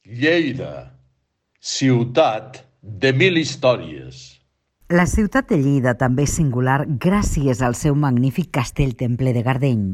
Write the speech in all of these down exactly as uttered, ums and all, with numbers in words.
Lleida, ciutat de mil històries. La ciutat de Lleida també és singular gràcies al seu magnífic castell-temple de Gardeny.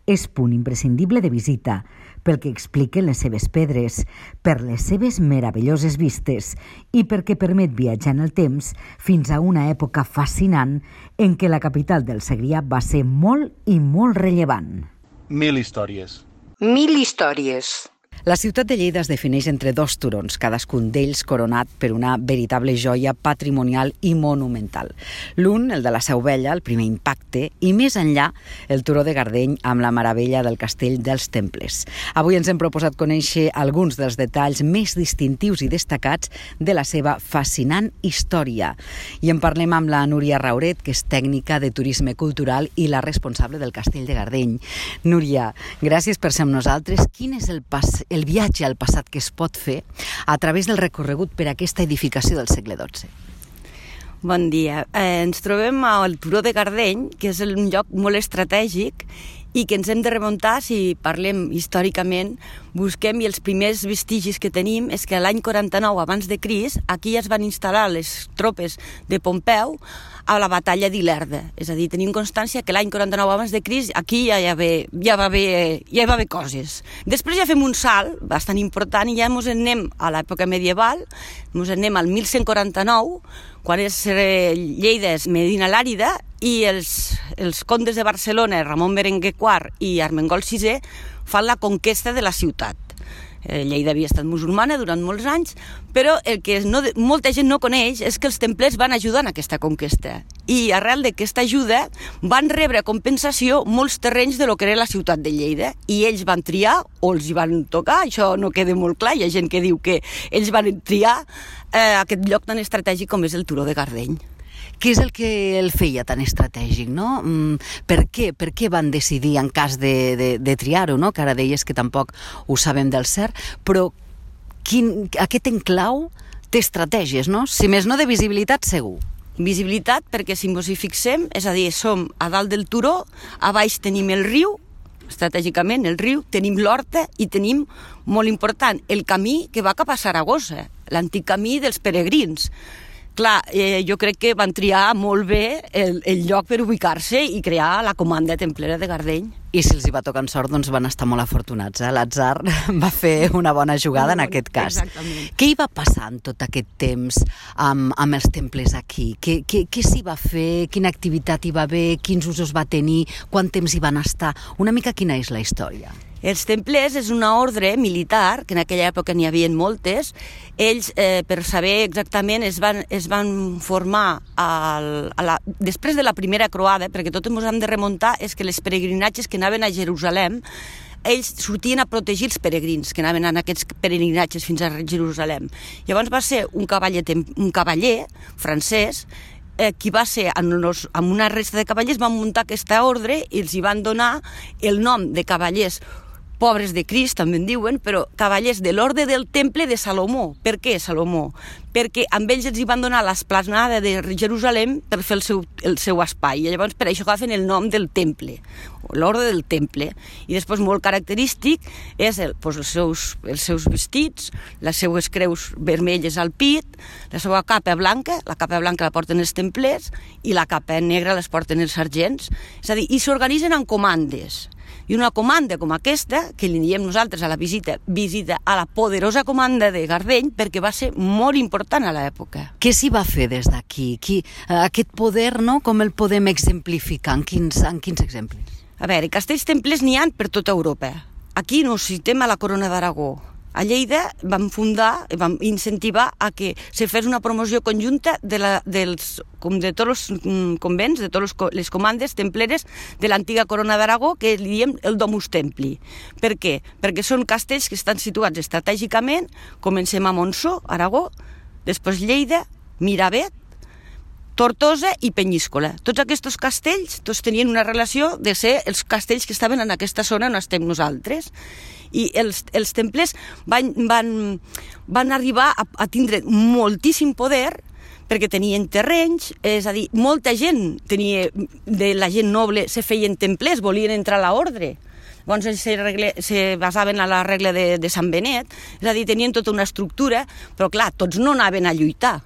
És punt imprescindible de visita pel que expliquen les seves pedres, per les seves meravelloses vistes i perquè permet viatjar en el temps fins a una època fascinant en què la capital del Segrià va ser molt i molt rellevant. Mil històries. Mil històries. La ciutat de Lleida es defineix entre dos turons, cadascun d'ells coronat per una veritable joia patrimonial i monumental. L'un, el de la Seu Vella, el primer impacte, i més enllà, el turó de Gardeny amb la meravella del castell dels Temples. Avui ens hem proposat conèixer alguns dels detalls més distintius i destacats de la seva fascinant història. I en parlem amb la Núria Rauret, que és tècnica de turisme cultural i la responsable del castell de Gardeny. Núria, gràcies per ser amb nosaltres. Quin és el pas el viatge al passat que es pot fer a través del recorregut per aquesta edificació del segle dotze. Bon dia. Eh, ens trobem al Turó de Gardeny, que és un lloc molt estratègic i que ens hem de remuntar, si parlem històricament, busquem i els primers vestigis que tenim és que l'any quaranta-nou abans de Crist aquí es van instal·lar les tropes de Pompeu a la batalla d'Ilerda. És a dir, tenim constància que l'any quaranta-nou abans de Crist aquí ja, ja, ve, ja, va haver, ja va haver coses. Després ja fem un salt bastant important i ja ens anem a l'època medieval, ens anem al mil cent quaranta-nou, quan és eh, Lleida és Medina l'Àrida i els, els condes de Barcelona, Ramon Berenguer quart i Armengol sisè, fan la conquesta de la ciutat. Eh, Lleida havia estat musulmana durant molts anys, però el que no, molta gent no coneix és que els templers van ajudar en aquesta conquesta. I arrel d'aquesta ajuda van rebre a compensació molts terrenys de lo que era la ciutat de Lleida. I ells van triar, o els hi van tocar, això no queda molt clar, hi ha gent que diu que ells van triar eh, aquest lloc tan estratègic com és el Turó de Gardeny. Què és el que el feia tan estratègic, no? Per què? Per què van decidir en cas de, de, de triar-ho, no? Que ara deies que tampoc ho sabem del cert, però quin, aquest enclau té estratègies, no? Si més no de visibilitat, segur. Visibilitat perquè si ens hi fixem, és a dir, som a dalt del turó, a baix tenim el riu, estratègicament el riu, tenim l'horta i tenim, molt important, el camí que va cap a Saragossa, l'antic camí dels peregrins. Clar, eh, jo crec que van triar molt bé el, el lloc per ubicar-se i crear la comanda templera de Gardeny. I si els hi va tocar en sort, doncs van estar molt afortunats. Eh? L'atzar va fer una bona jugada en aquest cas. Exactament. Què hi va passar en tot aquest temps amb, amb els temples aquí? Què, què, què s'hi va fer? Quina activitat hi va haver? Quins usos va tenir? Quant temps hi van estar? Una mica quina és la història? Els templers és una ordre militar, que en aquella època n'hi havia moltes. Ells, eh, per saber exactament, es van, es van formar al, a la, després de la primera croada, perquè tot ens hem de remuntar, és que les peregrinatges que anaven a Jerusalem, ells sortien a protegir els peregrins que anaven en aquests peregrinatges fins a Jerusalem. Llavors va ser un cavaller, un cavaller francès, eh, qui va ser, amb, los, amb una resta de cavallers, van muntar aquesta ordre i els hi van donar el nom de cavallers pobres de Crist, també en diuen, però cavallers de l'Orde del Temple de Salomó. Per què Salomó? Perquè amb ells els hi van donar l'esplanada de Jerusalem per fer el seu, el seu espai. I llavors per això agafen el nom del Temple, l'Orde del Temple. I després molt característic és el, doncs els, seus, els seus vestits, les seues creus vermelles al pit, la seva capa blanca, la capa blanca la porten els templers i la capa negra les porten els sergents. És a dir, i s'organitzen en comandes. I una comanda com aquesta, que li diem nosaltres a la visita, visita a la poderosa comanda de Gardeny, perquè va ser molt important a l'època. Què s'hi va fer des d'aquí? Qui, aquest poder, no? Com el podem exemplificar? En quins, en quins exemples? A veure, castells templers n'hi ha per tota Europa. Aquí no citem a la Corona d'Aragó. A Lleida vam fundar, vam incentivar a que se fes una promoció conjunta de, la, dels, com de tots els convents, de totes les comandes templeres de l'antiga Corona d'Aragó, que li diem el Domus Templi. Per què? Perquè són castells que estan situats estratègicament, comencem a Montsó, Aragó, després Lleida, Miravet, Tortosa i Penyíscola. Tots aquests castells tots tenien una relació de ser els castells que estaven en aquesta zona on estem nosaltres. I els, els templers van, van, van arribar a, a tindre moltíssim poder perquè tenien terrenys, és a dir, molta gent tenia, de la gent noble se feien templers, volien entrar a l'ordre. Llavors ells se, regle, se basaven en la regla de, de Sant Benet, és a dir, tenien tota una estructura, però clar, tots no anaven a lluitar.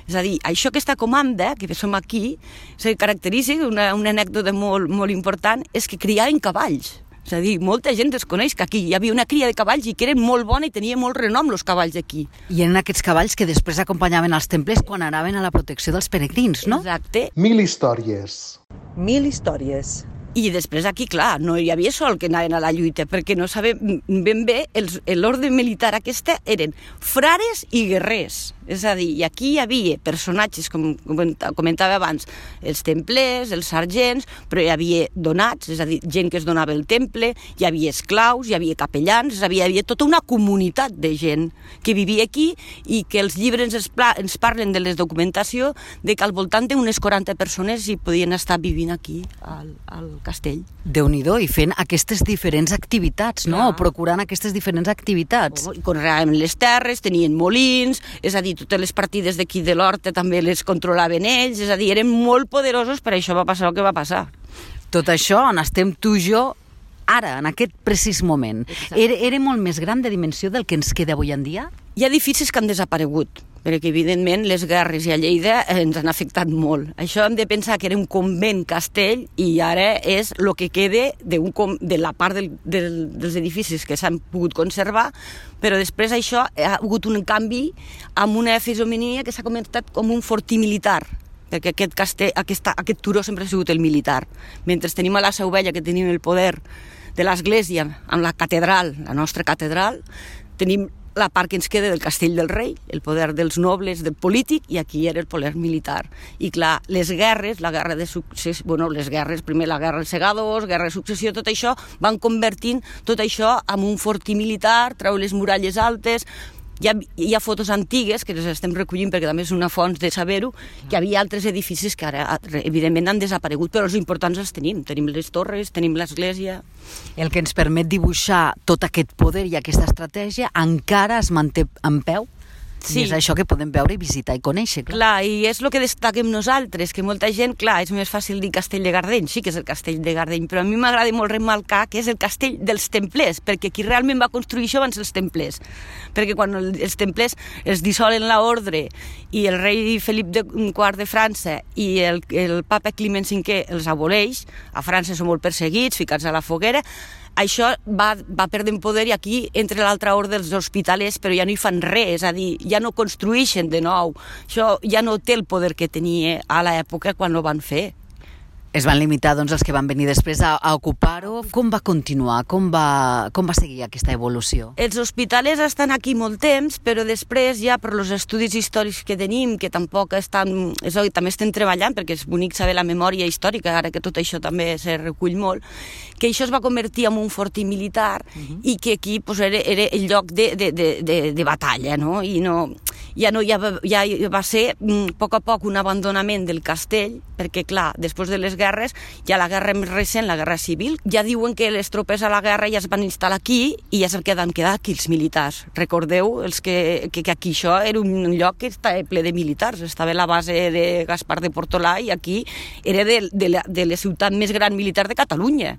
És a dir, això aquesta comanda, que som aquí, se caracteritza, una, una anècdota molt, molt important, és que criaven cavalls. És a dir, molta gent desconeix que aquí hi havia una cria de cavalls i que eren molt bona i tenia molt renom els cavalls aquí. I eren aquests cavalls que després acompanyaven als temples quan anaven a la protecció dels peregrins, no? Exacte. Mil històries. Mil històries. I després aquí, clar, no hi havia sol que anaven a la lluita, perquè no sabem ben bé, l'ordre militar aquesta eren frares i guerrers. És a dir, i aquí hi havia personatges, com comentava abans, els templers, els sergents, però hi havia donats, és a dir, gent que es donava el temple, hi havia esclaus, hi havia capellans, és a dir, hi havia tota una comunitat de gent que vivia aquí i que els llibres ens, ens parlen de la documentació de que al voltant d'unes quaranta persones hi podien estar vivint aquí, al, al castell. Déu-n'hi-do, i fent aquestes diferents activitats, no? O procurant aquestes diferents activitats. Oh, conreaven les terres, tenien molins, és a dir, totes les partides d'aquí de l'Horta també les controlaven ells, és a dir, eren molt poderosos, per això va passar el que va passar. Tot això on estem tu i jo ara, en aquest precís moment. Era, era molt més gran de dimensió del que ens queda avui en dia? Hi ha edificis que han desaparegut, perquè evidentment les guerres a Lleida ens han afectat molt. Això hem de pensar que era un convent castell i ara és el que queda de, un, de la part del, del, dels edificis que s'han pogut conservar, però després això ha hagut un canvi amb una fisonomia que s'ha comentat com un fortí militar, perquè aquest, castell, aquesta, aquest turó sempre ha sigut el militar. Mentre tenim a la Seu Vella, que tenim el poder de l'església amb la catedral, la nostra catedral, tenim la part que ens queda del castell del rei, el poder dels nobles, del polític, i aquí era el poder militar. I clar, les guerres, la guerra de successió, bueno, les guerres, primer la guerra dels segadors, guerra de successió, tot això, van convertint tot això en un fortí militar, treu les muralles altes. Hi ha, hi ha fotos antigues que les estem recollint perquè també és una font de saber-ho, que hi havia altres edificis que ara evidentment han desaparegut, però els importants els tenim. Tenim les torres, tenim l'església. El que ens permet dibuixar tot aquest poder i aquesta estratègia encara es manté en peu? Sí. I és això que podem veure i visitar i conèixer. Clar, clar i és el que destaquem nosaltres, que molta gent, clar, és més fàcil dir Castell de Gardeny, sí que és el Castell de Gardeny, però a mi m'agrada molt remarcar que és el Castell dels Templers, perquè qui realment va construir això van ser els Templers, perquè quan els Templers es dissolen l'ordre i el rei Felip de, quart de França i el, el papa Climent cinquè els aboleix, a França són molt perseguits, ficats a la foguera, això va, va perdent poder i aquí entra l'altra ordre dels hospitalers, però ja no hi fan res, és a dir, ja no construeixen de nou. Això ja no té el poder que tenia a l'època quan ho van fer. Es van limitar doncs, els que van venir després a, a ocupar-ho. Com va continuar? Com va, com va seguir aquesta evolució? Els hospitalers estan aquí molt temps, però després ja per els estudis històrics que tenim, que tampoc estan... És a dir, també estem treballant, perquè és bonic saber la memòria històrica, ara que tot això també se recull molt, que això es va convertir en un fortí militar uh-huh. i que aquí pues, era, era el lloc de, de, de, de, de batalla, no? I no... Ja, no, ja, va, ja va ser a poc a poc un abandonament del castell, perquè clar, després de les guerres, ja la guerra més recent, la guerra civil, ja diuen que les tropes a la guerra ja es van instal·lar aquí i ja se'n queden quedar aquí els militars. Recordeu els que, que, que aquí això era un lloc que estava ple de militars, estava la base de Gaspar de Portolà i aquí era de, de, la, de la ciutat més gran militar de Catalunya.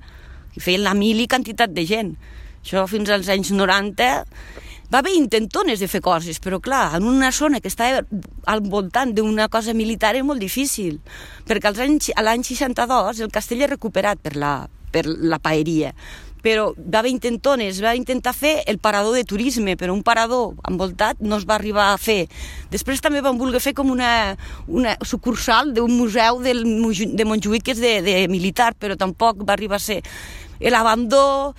I feien la mili quantitat de gent. Això fins als anys noranta... Va haver intentones de fer coses, però clar, en una zona que estava al voltant d'una cosa militar és molt difícil, perquè als anys, a l'any seixanta-dos el castell és recuperat per la, per la paeria, però va haver intentones, va intentar fer el parador de turisme, però un parador envoltat no es va arribar a fer. Després també van voler fer com una, una sucursal d'un museu del, de Montjuïc que és de, de militar, però tampoc va arribar a ser. L'abandó,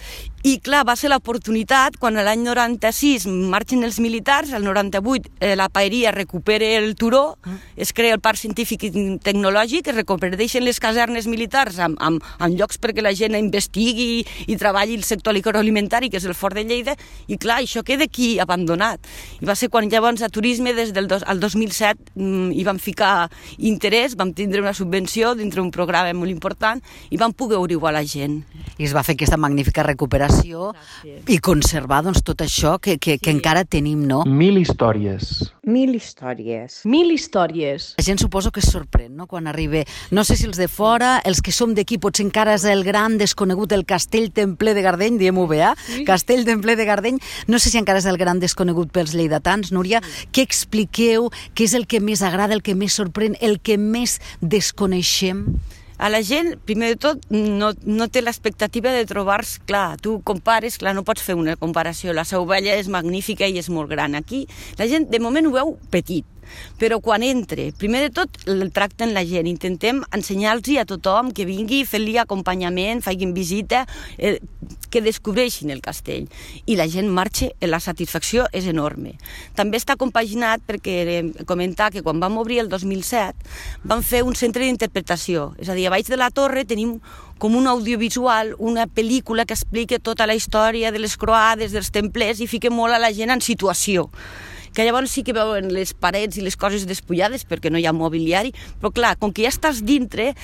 i clar, va ser l'oportunitat quan l'any noranta-sis marxen els militars, el noranta-vuit eh, la paeria recupera el turó, es crea el parc científic i tecnològic, es reconverteixen les casernes militars amb, amb, amb llocs perquè la gent investigui i treballi el sector agroalimentari, que és el Fort de Lleida, i clar, això queda aquí abandonat. I va ser quan llavors a turisme, des del dos, al dos mil set, mm, hi vam ficar interès, vam tindre una subvenció dintre un programa molt important i vam poder obrir-ho a la gent. I es va fer aquesta magnífica recuperació informació i conservar doncs, tot això que, que, que encara tenim, no? Mil històries. Mil històries. Mil històries. La gent suposo que es sorprèn, no?, quan arriba. No sé si els de fora, els que som d'aquí, potser encara és el gran desconegut, el Castell Templer de Gardeny, diem-ho bé, eh? Sí. Castell Templer de Gardeny. No sé si encara és el gran desconegut pels lleidatans. Núria, sí. Què expliqueu? Què és el que més agrada, el que més sorprèn, el que més desconeixem? A la gent, primer de tot, no, no té l'expectativa de trobar-se, clar, tu compares, clar, no pots fer una comparació, la Seu Vella és magnífica i és molt gran. Aquí la gent de moment ho veu petit, però quan entre, primer de tot el tracten la gent, intentem ensenyar-los a tothom que vingui, fer-li acompanyament, facin visita, eh, que descobreixin el castell, i la gent marxa, la satisfacció és enorme. També està compaginat perquè comentar que quan vam obrir el dos mil set vam fer un centre d'interpretació, és a dir, a baix de la torre tenim com un audiovisual, una pel·lícula que explica tota la història de les croades, dels templers, i fica molt a la gent en situació, que llavors sí que veuen les parets i les coses despullades perquè no hi ha mobiliari, però clar, com que ja estàs dintre,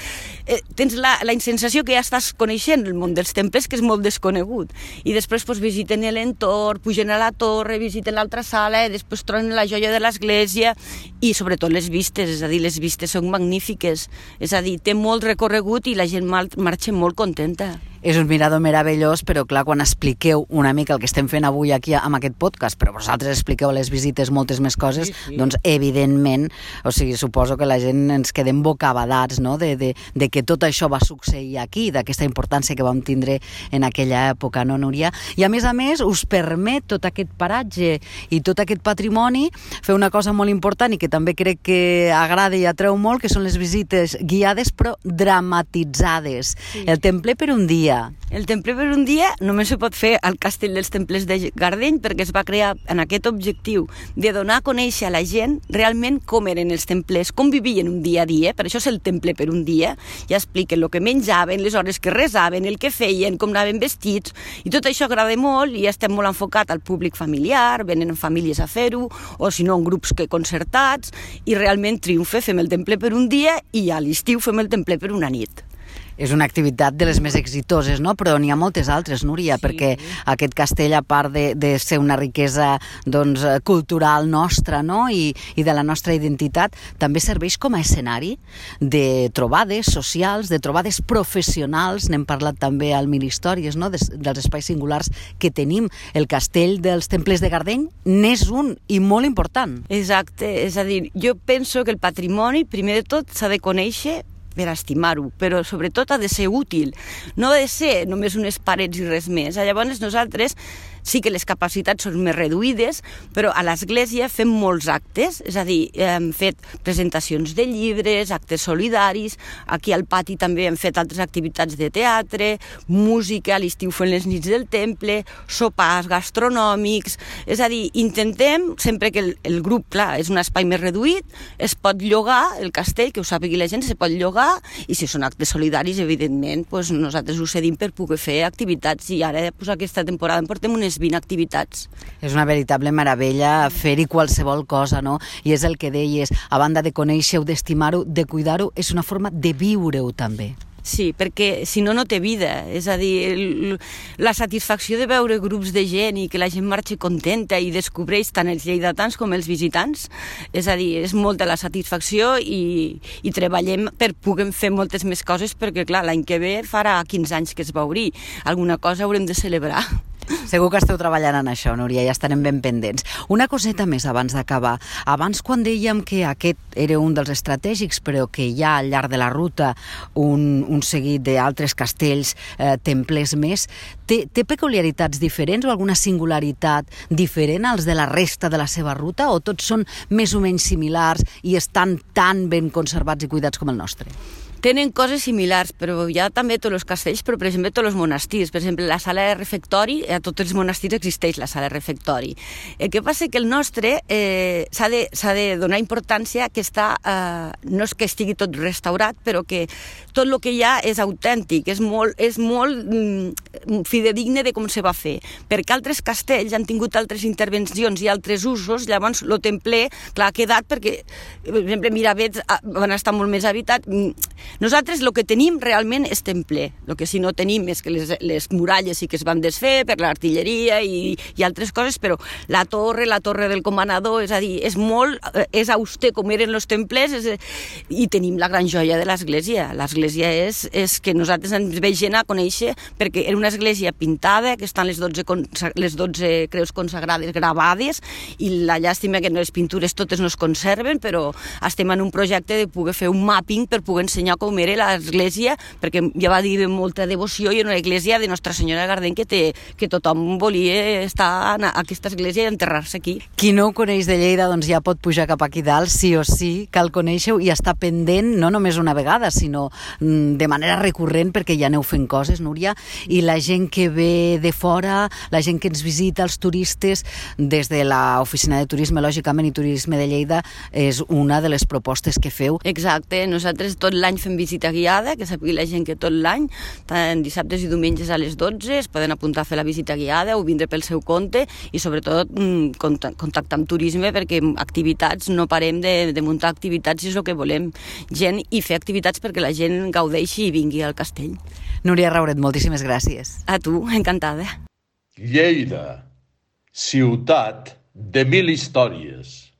eh, tens la, la sensació que ja estàs coneixent el món dels temples, que és molt desconegut. I després pues, visiten l'entorn, pugen a la torre, visiten l'altra sala, i després troben la joia de l'església i sobretot les vistes, és a dir, les vistes són magnífiques, és a dir, té molt recorregut i la gent marxa molt contenta. És un mirador meravellós, però clar, quan expliqueu una mica el que estem fent avui aquí amb aquest podcast, però vosaltres expliqueu a les visites moltes més coses, sí, sí. Doncs evidentment, o sigui, suposo que la gent ens quedem bocabadats, no?, de, de, de que tot això va succeir aquí, d'aquesta importància que vam tindre en aquella època, no, Núria? I a més a més us permet tot aquest paratge i tot aquest patrimoni fer una cosa molt important i que també crec que agrada i atreu molt, que són les visites guiades però dramatitzades. Sí. El templer per un dia. El templer per un dia només se pot fer al Castell dels Templers de Gardeny perquè es va crear en aquest objectiu de donar a conèixer a la gent realment com eren els templers, com vivien un dia a dia, per això és el temple per un dia, ja expliquen el que menjaven, les hores que resaven, el que feien, com anaven vestits, i tot això agrada molt i estem molt enfocat al públic familiar, venen famílies a fer-ho, o si no en grups que concertats, i realment triomfa, fem el temple per un dia i a l'estiu fem el temple per una nit. És una activitat de les més exitoses, no? Però n'hi ha moltes altres, Núria, sí. Perquè aquest castell, a part de, de ser una riquesa doncs, cultural nostra, no? I, i de la nostra identitat, també serveix com a escenari de trobades socials, de trobades professionals. N'hem parlat també al Mil Històries, no? Des, dels espais singulars que tenim. El castell dels Templers de Gardeny n'és un i molt important. Exacte, és a dir, jo penso que el patrimoni, primer de tot, s'ha de conèixer per estimar-ho, però sobretot ha de ser útil, no ha de ser només unes parets i res més. Llavors nosaltres sí que les capacitats són més reduïdes, però a l'església fem molts actes, és a dir, hem fet presentacions de llibres, actes solidaris, aquí al pati també hem fet altres activitats de teatre, música, a l'estiu fem les nits del temple, sopars gastronòmics, és a dir, intentem, sempre que el, el grup, clar, és un espai més reduït, es pot llogar el castell, que ho sàpigui la gent, se pot llogar, i si són actes solidaris, evidentment, doncs nosaltres ho cedim per poder fer activitats, i ara doncs, aquesta temporada en portem unes vint activitats. És una veritable meravella fer-hi qualsevol cosa, no? I és el que deies, a banda de conèixer-ho, d'estimar-ho, de cuidar-ho, és una forma de viure-ho també. Sí, perquè si no, no té vida. És a dir, el, la satisfacció de veure grups de gent i que la gent marxa contenta i descobreix tant els lleidatans com els visitants, és a dir, és molta la satisfacció i, i treballem per poder fer moltes més coses perquè, clar, l'any que ve farà quinze anys que es va obrir. Alguna cosa haurem de celebrar. Segur que esteu treballant en això, Núria, ja estarem ben pendents. Una coseta més abans d'acabar. Abans, quan dèiem que aquest era un dels estratègics, però que hi ha al llarg de la ruta un, un seguit d'altres castells, eh, templers més, té, té peculiaritats diferents o alguna singularitat diferent als de la resta de la seva ruta, o tots són més o menys similars i estan tan ben conservats i cuidats com el nostre? Tenen coses similars, però hi ha també tots els castells, però per exemple tots els monestirs. Per exemple, la sala de refectori, a tots els monestirs existeix la sala de refectori. El que passa és que el nostre eh, s'ha de, s'ha de donar importància que està, eh, no és que estigui tot restaurat, però que tot el que hi ha és autèntic, és molt, és molt mm, fidedigne de com se va fer. Perquè altres castells han tingut altres intervencions i altres usos, llavors el templer, clar, ha quedat perquè, per exemple, Miravets van estar molt més habitat. Nosaltres el que tenim realment és templer. El que sí no tenim és que les, les muralles sí que es van desfer per l'artilleria i, i altres coses, però la torre, la torre del comanador, és a dir, és molt, és auster com eren els templers, és, i tenim la gran joia de l'església. L'església és, és que nosaltres ens veig gent a conèixer perquè era una església pintada, que estan les dotze, les dotze creus consagrades gravades, i la llàstima que les pintures totes no es conserven, però estem en un projecte de poder fer un mapping per poder ensenyar com era l'església, perquè ja va dir de molta devoció i una església de Nostra Senyora de Gardeny que, té, que tothom volia estar en aquesta església i enterrar-se aquí. Qui no ho coneix de Lleida doncs ja pot pujar cap aquí dalt, sí o sí, cal conèixer-ho i estar pendent no només una vegada, sinó de manera recurrent, perquè ja aneu fent coses, Núria, i la gent que ve de fora, la gent que ens visita, els turistes, des de l'Oficina de Turisme, lògicament, i Turisme de Lleida, és una de les propostes que feu. Exacte, nosaltres tot l'any fem visita guiada, que sàpiga la gent que tot l'any, tant dissabtes i diumenges a les dotze, es poden apuntar a fer la visita guiada o vindre pel seu compte i sobretot contactar amb turisme, perquè activitats, no parem de, de muntar activitats i és el que volem, gent, i fer activitats perquè la gent gaudeixi i vingui al castell. Núria Rauret, moltíssimes gràcies. A tu, encantada. Lleida, ciutat de mil històries.